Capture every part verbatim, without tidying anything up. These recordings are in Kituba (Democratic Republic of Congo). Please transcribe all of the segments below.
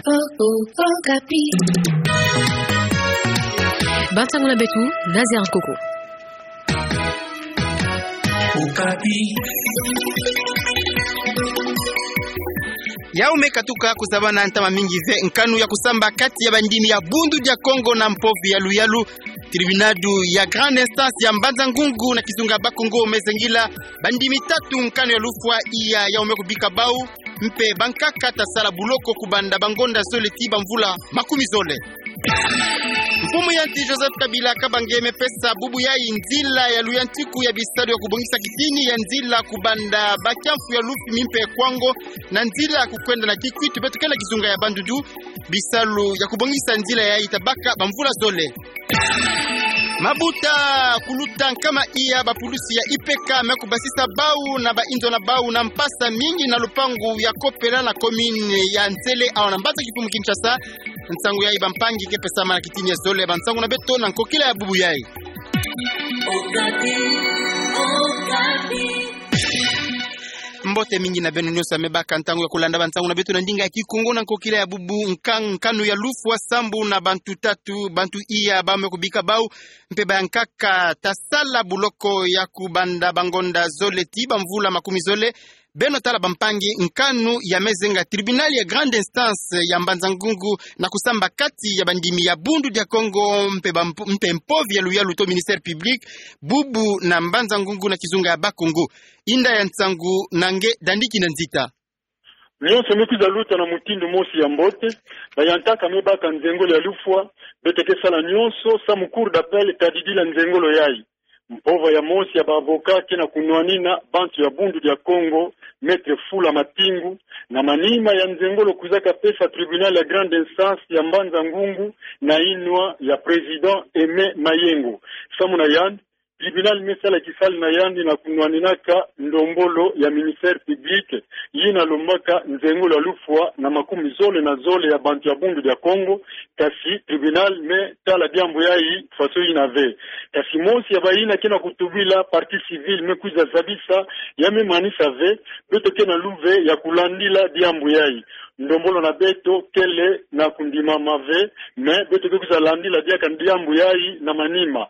Okapi. Bansangu na beto, Nazaire Nkoko. Okapi. Yau me katuka kuzabana ntama mingi ve nkanu ya kusamba kati ya bandimi ya Bundu dia Kongo na Mpovi ya Luyalu. Tribunal ya grande instance ya Mbanza-Ngungu na kizunga Bas-Congo me zengila bandimi tatu nkanu ya lufwa iya yau me kubika bau, mpe bankaka ta sala buloko kubanda bangonda zole tii bamvula makumi zole. Mfumu ya nsi Joseph Kabila Kabange me pesa bubu yayi nzila ya luyantiku ya bisalu ya kubongisa kitini ya nzila kubanda Bas-Kiamfu ya Lufimi mpe Kwango, na nzila ya kukwenda na Kikwit, beto ke na kizunga ya Bandundu. Bisalu ya kubongisa nzila yayi ta baka bamvula zole. Mabuta kuluta nkama iya bapulusi ya I P K me kubasisa bau na bainzo na bau na mpasi mingi na lupangu ya Kopela na commune ya Nsele, awa na mbanza kimfumu Kinshasa. Nsangu yayi bampangi ke pesama na kitini ya zole ya bansangu na beto na nkokila ya bubu yayi. Mbote mingi na beno nyonso ya me baka ntangu ya kulanda bansangu na beto na ndinga ya Kikongo na nkokila ya bubu. Nka-, nkanu ya lufwa sambu na bantu tatu, bantu iya bau me kubika bau, mpe bankaka ta sala buloko ya kubanda bangonda zole tii bamvula makumi zole. Beno tala bampangi, nkanu ya me zenga tribunal ya grande instance ya Mbanza-Ngungu na kusamba kati ya bandimi ya Bundu dia Kongo mpe bamp-, mpe Mpovi ya Luyalu to ministère public, bubu na Mbanza-Ngungu na kizunga ya Bas-Congo. Inda ya nsangu na nge Dandi Kinanzita. Nyonso me kwiza luta na mutindu mosi ya mbote, bayankaka me baka nzengolo ya lufwa, beto ke sala nyonso samu cour d'appel ta didila nzengolo yayi. Mpova ya mosi ya ba avocat ke na kunwanina bantu ya Bundu dia Kongo, Maître Fula Matingu, na manima ya nzengolo kwizaka pesa tribunal ya grande instance ya Mbanza-Ngungu na yinwa ya président Aimé Mayengo. Samu na yandi, tribunal me sala kisalu na yandi na kunwaninaka ndombolo ya ministère public yina lombaka nzengolo ya lufwa na makumi zole na zole ya bantu ya Bundu dia Kongo, kasi tribunal me tala diambu yayi faso yina ve. Kasi mosi ya bayina ke na kutubila, partie civile, me kwiza zabisa, ya me manisa ve, beto ke na luve ya kulandila diambu yayi. Ndombolo na beto kele na kundimama ve, mais beto ke kwiza landila diaka diambu yayi na manima.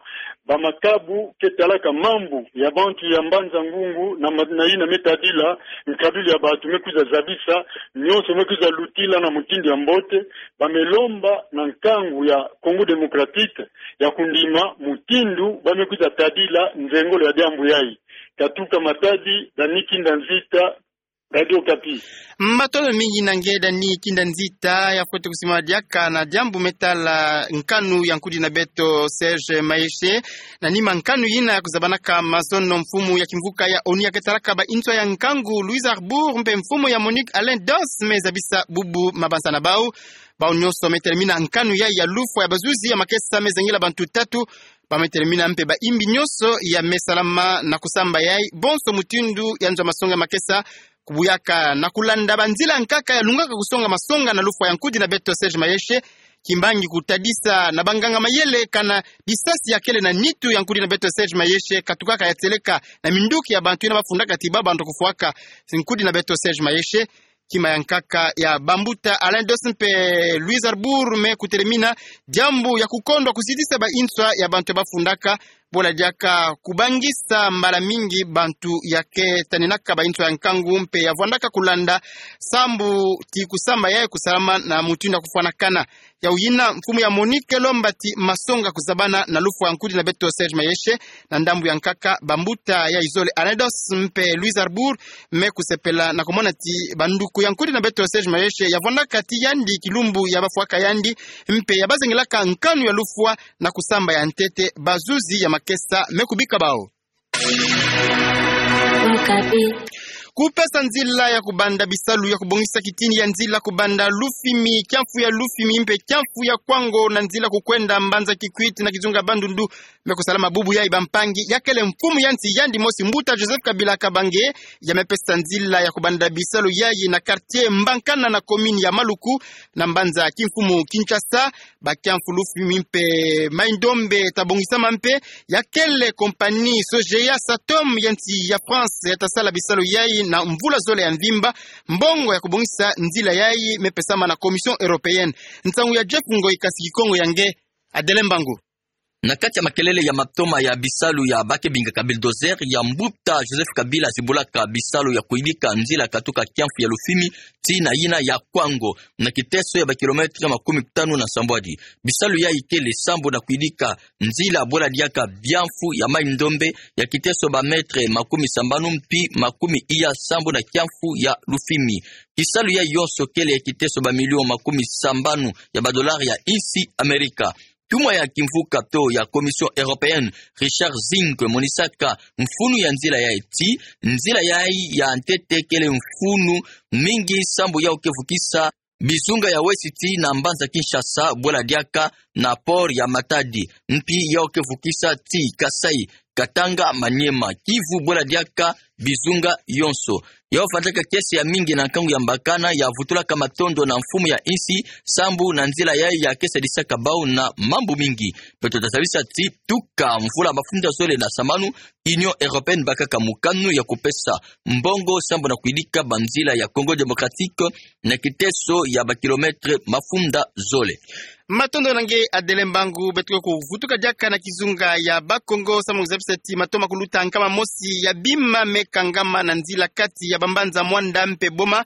Bamakabu ke talaka mambu ya bantu ya Mbanza-Ngungu na ma-, na yina me tadila nkadulu ya bantu me kwiza zabisa, nyonso me kwiza lutila na mutindu ya mbote, ba me lomba na nkangu ya Congo Démocratique ya kundima mutindu ba me kwiza tadila nzengolo ya diambu yayi. Katuka Matadi, Dani Kinanzita, Radio Okapi. Matondo mingi na nge Dani Kinanzita, ya fwete kusimama diaka na diambu me tala nkanu ya nkudi na beto Serge Mayeshe. Na nima nkanu yina ya kuzabanaka mazono, mfumu ya kimvuka ya onu ya ke talaka bainzo ya nkangu, Louise Arbour, mpe mfumu ya MONUC, Alain Dos, me zabisa bubu mabanza na bau. Bau nyonso me telemina nkanu yayi ya lufwa ya bazuzi ya makesa me zengila bantu tatu. Ba me telemina mpe baimbi nyonso ya me salama na kusamba yayi, bonso mutindu ya nzo masonga ya makesa, kubuyaka na kulanda banzila nkaka ya lungaka kusonga masonga na lufwa ya nkudi na beto Serge Mayeshe. Kimbangi kutadisa na banganga mayele kana bisasi ya kele na nitu ya nkudi na beto Serge Mayeshe katukaka ya tieleka na minduki ya bantu yina bafundaka ti ba bantu kufwaka nkudi na beto Serge Mayeshe. Kima ya nkaka ya bambuta Alain Dos mpe Louise Arbour me kutelemina diambu ya kukondwa kuzitisa bainzo ya bantu bafundaka, bola diaka kubangisa mbala mingi bantu ya ke taninaka bainzo ya nkangu mpe ya vwandaka kulanda sambu ti kusamba yayi kusalama na mutindu ya kufwanakana. Yau yina mfumu ya MONUC ke lomba ti masonga kuzabana na lufwa ya nkudi na beto Serge Mayeshe, na ndambu ya nkaka bambuta ya izole Alain Dos mpe Louise Arbour me kusepela na kumona ti banduku ya nkudi na beto Serge Mayeshe ya vwandaka ti yandi kilumbu ya bafwaka yandi, mpe ya bazengilaka nkanu ya lufwa na kusamba ya ntete bazuzi ya makesa me kubika bau. Kupesa nzila ya kubanda bisalu ya kubongisa kitini ya nzila kubanda Lufimi, kiamfu ya Lufimi mpe kiamfu ya Kwango na nzila kukwenda Mbanza Kikwit na kizunga Bandundu, me kusalama bubu yayi bampangi, ya kele mfumu ya nsi yandi mosi mbuta Joseph Kabila Kabange, ya me pesa nzila ya kubanda bisalu yayi na quartier Mbankana na commune ya Maluku, na mbanza kimfumu Kinshasa. Ba kiamfu Lufimi mpe Mai-Ndombe ta bongisama mpe, ya kele compagnie Sogea Satom ya nsi ya France ya ta sala bisalu yayi na mvula zole ya mvimba, mbongo ya kubongisa nzila yayi me pesama na Commission Européenne. Nsangu ya Jeff Ngoi, kasi Kikongo ya nge, Adelin Mbangu. Na kati ya makelele ya matoma ya bisalu ya ba ke bingaka bulldozer ya mbuta Joseph Kabila zibulaka bisalu ya kuyidika nzila katuka kiamfu ya Lufimi tii na yina ya Kwango, na kiteso ya ba kilomètre makumi tanu na sambwadi. Bisalu yayi kele sambu na kuyidika nzila bwela diaka biamfu ya mai-ndombe ya kiteso ba mètre makumi sambanu mpi makumi iya sambu na kiamfu ya Lufimi. Kisalu yayi yonso kele ya kiteso ba million makumi sambanu ya ba dollar ya insi Amerika. Ntumwa ya kimvuka to ya Commission Européenne, Richard Zingg, monisaka mfunu ya nzila yayi ti, nzila yayi ya ntete kele mfunu mingi sambu yau ke vukisa bizunga ya Ouest tii na mbanza Kinshasa, bwela diaka na port ya Matadi, mpi yau ke vukisa tii Kasaï, Katanga, Maniema, Kivu, bwela diaka bizunga yonso. Yau vandaka kiese ya mingi na nkangu ya mbakana ya vutulaka matondo na mfumu ya insi sambu na nzila yayi ya ke sadisaka bau na mambu mingi. Beto ta zabisa ti tuka mvula mafunda zole na sambanu, Union Européenne bakaka mokano ya kupesa mbongo sambu na kuyidika banzila ya Congo Démocratique na kiteso ya ba kilomètre mafunda zole. Matondo na nge Adelin Mbangu. Beto ke kuvutuka diaka na kizunga ya Bakongo sambu na kuzabisa ti matoma kuluta nkama mosi ya bima me kangama na nzila kati ya bambanza Muanda mpe Boma,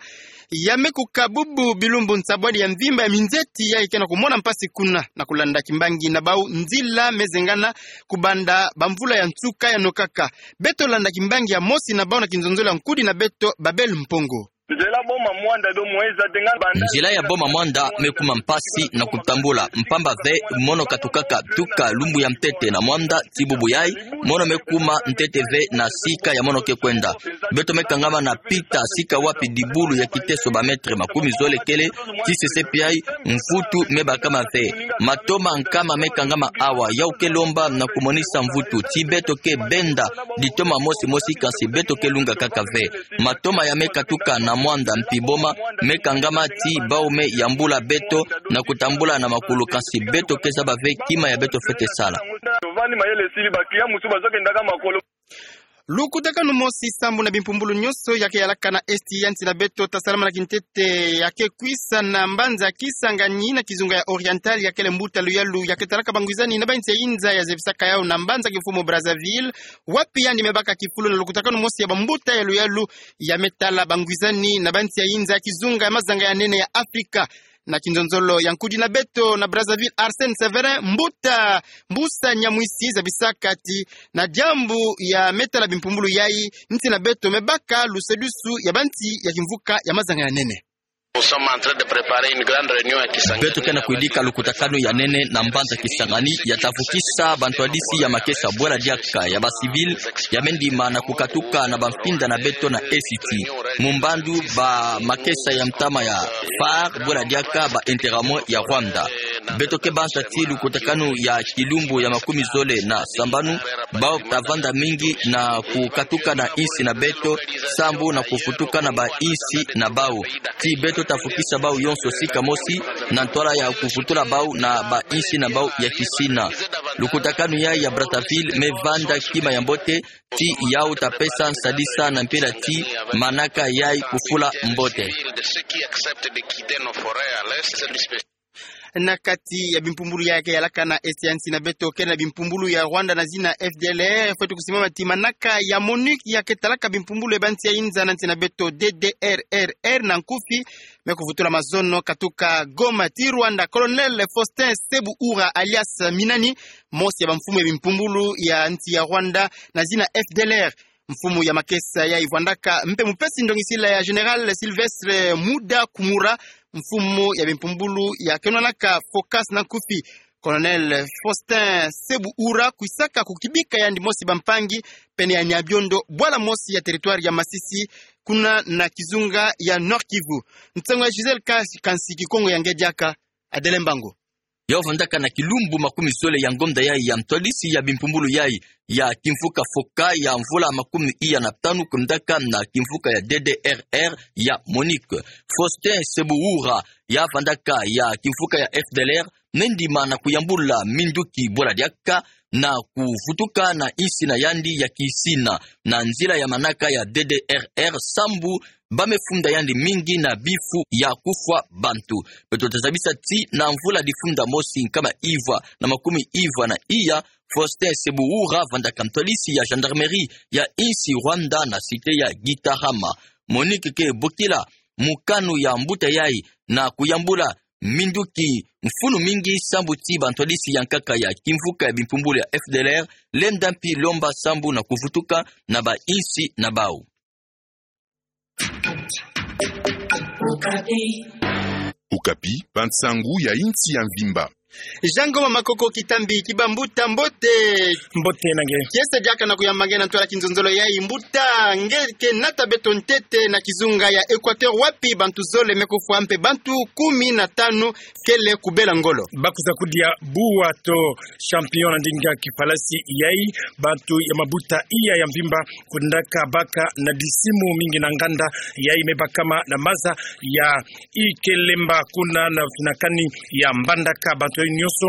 ya me kuka bubu bilumbu nsambwadi ya mvimba ya minzeti yayi ke na kumona mpasi kuna. Na kulanda kimbangi na bau, nzila me zengana kubanda bamvula ya nsuka ya nokaka. Beto landa kimbangi ya mosi na bau na kinzonzolo ya nkudi na beto, Babel Mpongo. Nzila ya Boma Muanda me kuma mpasi na kutambula, mpamba ve mono katukaka tuka lumbu ya ntete na Muanda tii bubu yayi, mono me kuma ntete ve na sika ya mono ke kwenda. Beto me kangama na pita sika wapi dibulu ya kiteso ba mètre makumi zole kele, tii sesepi yayi mvutu me bakama ve. Matoma nkama me kangama awa, yau ke lomba na kumonisa mvutu ti beto ke benda ditoma mosi mosi, kansi beto ke lunga kaka ve. Matoma ya me katuka na Muanda mpi Boma me kangama ti bau me yambula beto na kutambula na makulu, kansi beto ke zaba ve kima ya beto fwete sala. Lukutakanu mosi sambu na bimpumbulu nyonso ya ke yalaka na Est ya nsi na beto ta salama na kintete ya ke kwisa na mbanza Kisangani na kizunga ya Oriental, ya kele mbuta luyalu ya ke talaka bangwizani na bansi ya inza ya zebisaka yau na mbanza kimfumu Brazzaville, wapi yandi me baka kifulu na lukutakanu mosi ya bambuta ya luyalu ya me tala bangwizani na bansi ya inza ya kizunga ya mazanga ya nene ya Afrika. Na kinzonzolo ya nkudi na beto na Brazzaville, Arsène Séverin, mbuta Mbusa Nyamwisi, zabisaka ti na diambu ya me tala bimpumbulu yayi, nsi na beto me baka lusadusu ya bansi ya kimvuka ya mazanga ya nene. Beto ke na kuyidika lukutakanu ya nene na mbanza Kisangani, ya ta vukisa bantwadisi ya makesa bwela diaka ya ba civil ya me ndima na kukatuka na bamfinda na beto na Est. Mu mbandu ba makesa ya ntama ya phare bwela diaka ba Interahamwe ya Rwanda. Beto ke banza ti lukutakanu ya kilumbu ya makumi zole na sambanu, bau ta vanda mingi na kukatuka na insi na beto sambu na kuvutuka na ba insi na bau. Ti beto ta vukisa bau yonso sika mosi na ntwala ya kuvutula bau na ba insi na bau ya kisina. Lukutakanu yayi ya Brazzaville me vanda kima ya mbote, ti yau ta pesa nsadisa na mpila ti manaka yayi kufula mbote. Na kati ya bimpumbulu ya ke yalaka na Est ya nsi na beto, kele na bimpumbulu ya Rwanda na zina F D L R, fwete kusimama ti manaka ya MONUC ya ke talaka bimpumbulu ya bansi ya inza na nsi na beto, D D R R R na nkufi, me kuvutula mazono katuka Goma ti Rwanda. Colonel Faustin Sebuhura alias Minani, mosi ya bamfumu ya bimpumbulu ya nsi ya Rwanda na zina F D L R. Mfumu ya makesa yayi vwandaka mpe mupesi ndongisila ya Général Sylvestre Mudakumura, mfumu ya bimpumbulu ya ke nwanaka FOCAS na nkufi. Colonel Faustin Sebuhura kwisaka kukibika yandi mosi bampangi pene ya Nyabiondo, bwala mosi ya territoire ya Masisi, kuna na kizunga ya Nord-Kivu. Nsangu ya Gisèle Kas-, Kansi, Kikongo ya nge diaka, Adelin Mbangu. Yau vandaka na kilumbu makumi zole ya ngonda yayi ya ntwadisi ya bimpumbulu yayi ya kimvuka FOCAS ya mvula makumi iya na tanu, kwendaka na kimvuka ya D D R R ya MONUC. Faustin Sebuhura ya vandaka ya kimvuka ya F D L R, me ndima na kuyambula minduki bwela diaka na kuvutuka na insi na yandi ya kisina, na nzila ya manaka ya D D R R sambu ba mefunda yandi mingi na bifu ya kufwa bantu. Beto tazabisa ti na mvula difunda mosi nkama ivwa na makumi ivwa na iya, Faustin Sebuhura, vandaka ntwadisi ya gendarmerie ya insi Rwanda na cité ya Gitarama, Monique Kebukila, mukanu ya mbuta yayi na kuyambula minduki mfunu mingi sambu ti bantwadisi ya nkaka ya kimvuka ya bimpumbulu ya F D L R lenda mpi lomba sambu na kuvutuka na ba insi na bau. Okapi, bansangu ya insi ya mvimba. Jean Ngoma Makoko Kitambi, Kibambuta, mbote. Mbote na nge. Kiese diaka na kuyamba nge na ntwala kinzonzolo yayi, mbuta, nge ke nata beto ntete na kizunga ya Équateur wapi bantu zole me kufwa mpe bantu kumi na tanu kele kubela ngolo. Bakwiza kudia bwa to champion na ndinga kifalasi yayi, bantu ya mabuta iya ya mvimba kwendaka baka na disimu mingi na nganda yayi me bakama na maza ya Ikelemba kuna na finakani ya Mbandaka. Bantu yayi nyonso,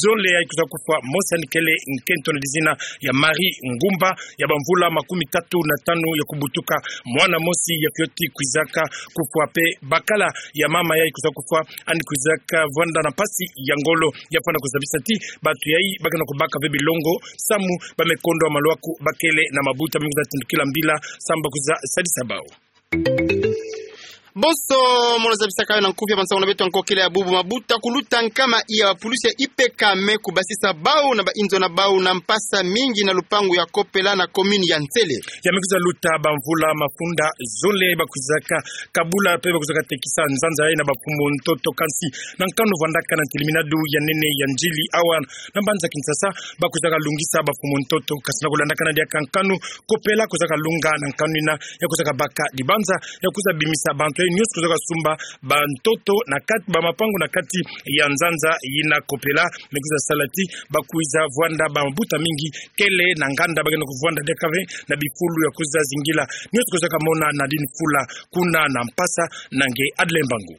zole yayi kwiza kufwa, mosi yandi kele nkento na dizina ya Marie Ngumba, ya bamvula makumi tatu na tanu ya kubutuka. Mwana mosi ya fioti kwizaka kufwa, mpe bakala ya mama yayi kwiza kufwa, yandi kwizaka vwanda na mpasi ya ngolo. Ya fwana kuzabisa ti bantu yayi bake na kubaka ve bilongo samu ba mekondo ya malwaku bakele na mabuta mingi za tindukila mbila samu bakwiza sadisa bau. Bonso, mono zabisaka yo na nkufi ya bansangu na beto ya nkokila ya bubu, mabuta kuluta nkama iya bapulusi ya I P K me kubasisa bau na ba inzo na bau na mpasa mingi na lupangu ya Kopela na commune ya Nsele. Ya me kwiza luta bamvula mafunda zole, bakwizaka kabula mpe bakwizaka tekisa nzanza yayi na bamfumu ntoto, kansi na nkanu vwandaka na ntiliminadu ya nene ya njili awa na mbanza Kinshasa, bakwizaka lungisa bamfumu ntoto. Kansi na kulandakana diaka nkanu, Kopela kwizaka lunga na nkanu yina ya kwizaka baka dibanza ya kwiza bimisa bantu yayi nyonso kwizaka sumba bantoto na kati, bamapangu na kati ya nzanza yina. Kopela me kwiza sala ti bakwiza vwanda bamabuta mingi kele na nganda, bakena kuvwanda diaka ve na bifulu ya kwiza zingila nyonso kwizaka mona na dini fula kuna na mpasa. Na nge Adle Mbangu.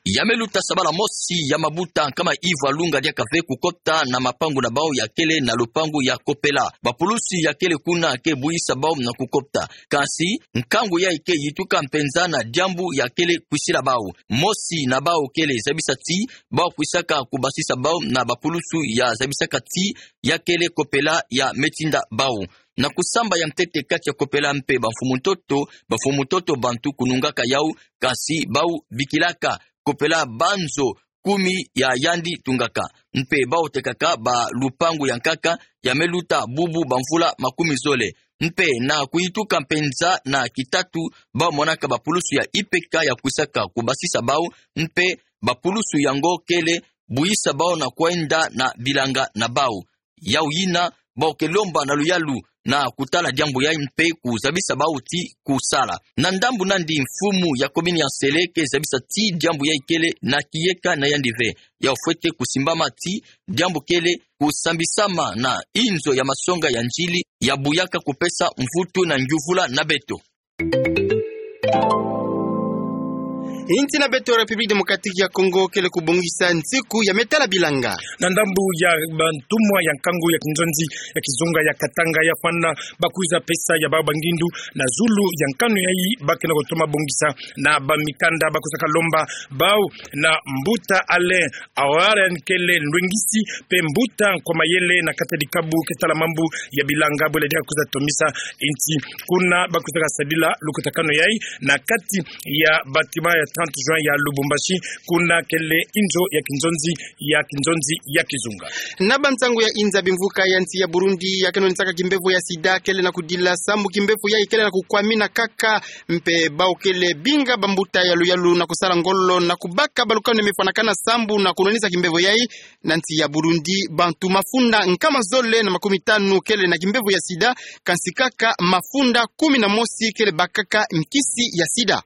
Ya me luta sabala mosi ya mabuta nkama ivwa lunga diaka ve kukota na mapangu na bau ya kele na lupangu ya Kopela. Bapulusi ya kele kuna ke buyisa bau na kukota. Kansi nkangu yayi ke yituka mpenza na diambu ya kele kwisila bau. Mosi na bau kele zabisa ti bau kwisaka kubasisa bau na bapulusu ya zabisaka ti ya kele Kopela ya me tinda bau. Na kusamba ya ntete kati ya Kopela mpe bamfumu ntoto, bamfumu ntoto bantu kunungaka yau, kansi bau bikilaka Kopela banzo kumi ya yandi tungaka. Mpe bau tekaka balupangu ya nkaka ya me luta bubu bamvula makumi zole. Mpe na kuyituka mpenza na kitatu, bau monaka bapulusu ya I P K ya kwisaka kubasisa bau, mpe bapulusu yango kele buyisa bau na kwenda na bilanga na bau. Yau yina, bau ke lomba na luyalu na kutala diambu yayi mpe kuzabisa bau ti kusala. Na ndambu nandi, mfumu ya commune ya Nsele ke zabisa ti diambu yayi kele na kiyeka na yandi ve. Yau fwete kusimbama ti diambu kele kusambisama na inzo ya masonga ya njili ya buyaka kupesa mvutu na ngiuvula na beto. Insi na beto République Démocratique ya Congo kele kubongisa nsiku ya me tala bilanga. Na ndambu ya bantumwa ya nkangu ya kinzonzi ya kizunga ya Katanga, ya fwana bakwiza pesa ya bau bangindu na zulu ya nkanu yayi bakena kutoma bongisa na bamikanda. Bakwizaka lomba bau na mbuta Alain Awaren kele lwengisi mpe mbuta Nkwamayele na kati ya dikabu ke tala mambu ya bilanga, bwela dia kwiza tomisa insi. Kuna bakwizaka sadila lukutakanu yayi na kati ya bâtiment ya trente juin ya Lubumbashi, kuna kele inzo ya kinzonzi ya kinzonzi ya kizunga. Na bansangu ya inza, bimvuka ya nsi ya Burundi ya kenonisaka kimbevo ya sida kele na kudila samu kimbevo yayi kele na kukwamina kaka, mpe bau kele binga bambuta ya luyalu na kusala ngolo na kubaka balukanu ya me fwanakana samu na kunwanisa kimbevo yayi. Na nsi ya Burundi, bantu mafunda nkama zole na makumi tanu kele na kimbevo ya sida, kansi kaka mafunda kumi na mosi kele bakaka nkisi ya sida.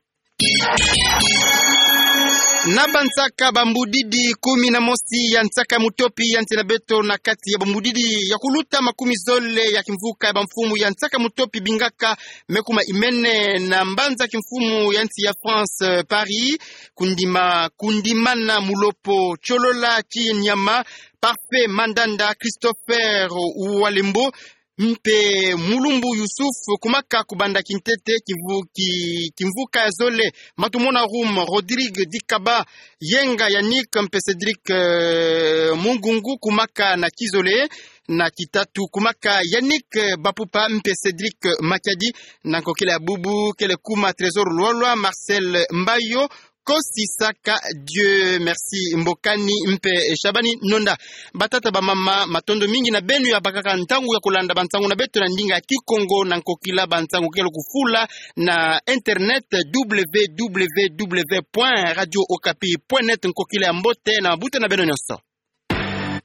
Na bansaka bambudidi kumi na mosi ya nsaka mutopi ya nsi na beto na kati ya bambudidi ya kuluta makumi zole ya kimvuka ya bamfumu ya nsaka mutopi bingaka mekuma imene na mbanza kimfumu ya nsi ya France, eh, Paris, kundima, kundimana mulopo, Cholola Chinyama, Parfait Mandanda, Christopher Uwalembo, mpe Mulumbu Yusuf, kumaka kubanda kintete kimvu-, ki-, kimvuka ya zole. Matumona Rum, Rodrigue Dikaba, Yenga Yannick, mpe Cédric, eh, Mungungu, kumaka na kizole. Na kitatu, kumaka Yannick, eh, Bapupa, mpe Cédric, eh, Makiadi. Na nkokila ya bubu, kele kuma Trésor Lwalwa, Marcel Mbayo, Kosi Saka, Dieu Merci Mbokani, mpe, eh, Shabani Nonda. Batata, bamama, matondo mingi na beno ya bakaka ntangu ya kulanda bansangu na beto na ndinga ya Kikongo na nkokila bansangu kele kufula na internet, W W W point radio okapi point net. Nkokila ya mbote na mabuta na beno nyonso.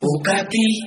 Okapi.